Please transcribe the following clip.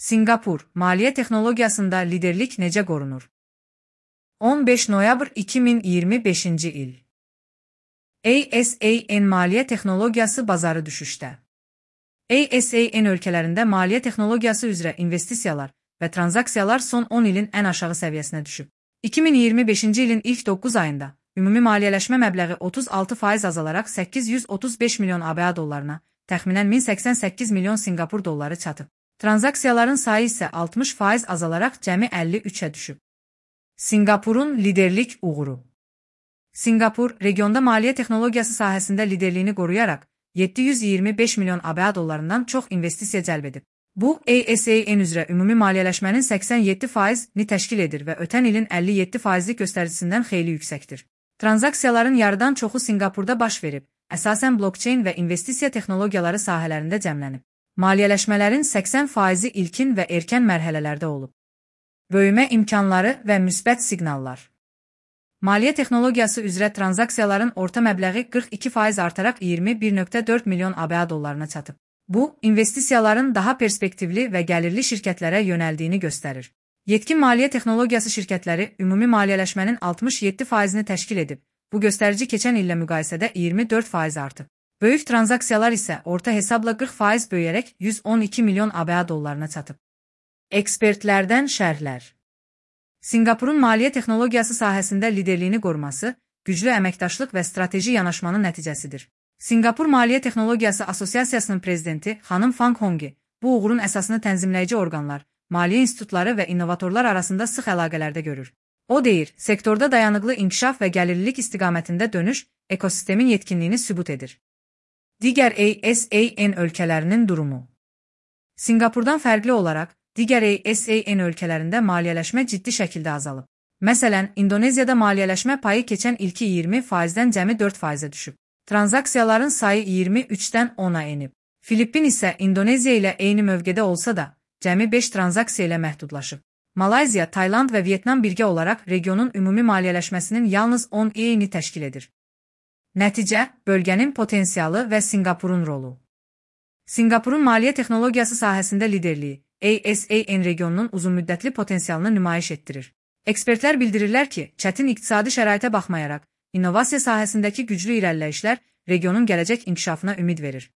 Sinqapur, maliyyə texnologiyasında liderlik necə qorunur? 15 noyabr 2025-ci il. ASEAN maliyyə texnologiyası bazarı düşüşdə. ASEAN ölkələrində maliyyə texnologiyası üzrə investisiyalar və tranzaksiyalar son 10 ilin ən aşağı səviyyəsinə düşüb. 2025-ci ilin ilk 9 ayında ümumi maliyyələşmə məbləği 36% azalaraq 835 milyon ABA dollarına, təxminən 1088 milyon Sinqapur dolları çatıb. Tranzaksiyaların sayı isə 60% azalaraq cəmi 53-ə düşüb. Sinqapurun liderlik uğuru. Sinqapur, regionda maliyyə texnologiyası sahəsində liderliyini qoruyaraq 725 milyon ABA dollarından çox investisiya cəlb edib. Bu, ASEAN üzrə ümumi maliyyələşmənin 87%-ni təşkil edir və ötən ilin 57%lik göstəricisindən xeyli yüksəkdir. Tranzaksiyaların yarıdan çoxu Sinqapurda baş verib, əsasən blokçeyn və investisiya texnologiyaları sahələrində cəmlənib. Maliyyələşmələrin 80%-i ilkin və erkən mərhələlərdə olub. Böyümə imkanları və müsbət siqnallar. Maliyyə texnologiyası üzrə tranzaksiyaların orta məbləği 42% artaraq 21,4 milyon ABA dollarına çatıb. Bu, investisiyaların daha perspektivli və gəlirli şirkətlərə yönəldiyini göstərir. Yetkin maliyyə texnologiyası şirkətləri ümumi maliyyələşmənin 67%-ni təşkil edib. Bu göstərici keçən illə müqayisədə 24% artıb. Böyük tranzaksiyalar isə orta hesabla 40% böyüyərək 112 milyon ABA dollarına çatıb. Ekspertlərdən şərhlər. Sinqapurun maliyyə texnologiyası sahəsində liderliyini qoruması, güclü əməkdaşlıq və strateji yanaşmanın nəticəsidir. Sinqapur Maliyyə Texnologiyası Assosiasiyasının prezidenti xanım Fang Hongi bu uğurun əsasını tənzimləyici orqanlar, maliyyə institutları və innovatorlar arasında sıx əlaqələrdə görür. O deyir, sektorda dayanıqlı inkişaf və gəlirlilik istiqamətində dönüş ekosistemin yetkinliyini sübut edir. Digər ASEAN ölkələrinin durumu. Sinqapurdan fərqli olaraq, digər ASEAN ölkələrində maliyyələşmə ciddi şəkildə azalıb. Məsələn, İndoneziyada maliyyələşmə payı keçən ilki 20%-dən cəmi 4%-ə düşüb. Tranzaksiyaların sayı 23-dən 10-a enib. Filippin isə İndoneziya ilə eyni mövqedə olsa da, cəmi 5 tranzaksiya ilə məhdudlaşıb. Malayziya, Tayland və Vyetnam birgə olaraq regionun ümumi maliyyələşməsinin yalnız 10%-ni təşkil edir. Nəticə, bölgənin potensialı və Sinqapurun rolu. Sinqapurun maliyyə texnologiyası sahəsində liderliyi ASEAN regionunun uzunmüddətli potensialını nümayiş etdirir. Ekspertlər bildirirlər ki, çətin iqtisadi şəraitə baxmayaraq, innovasiya sahəsindəki güclü irəliləyişlər regionun gələcək inkişafına ümid verir.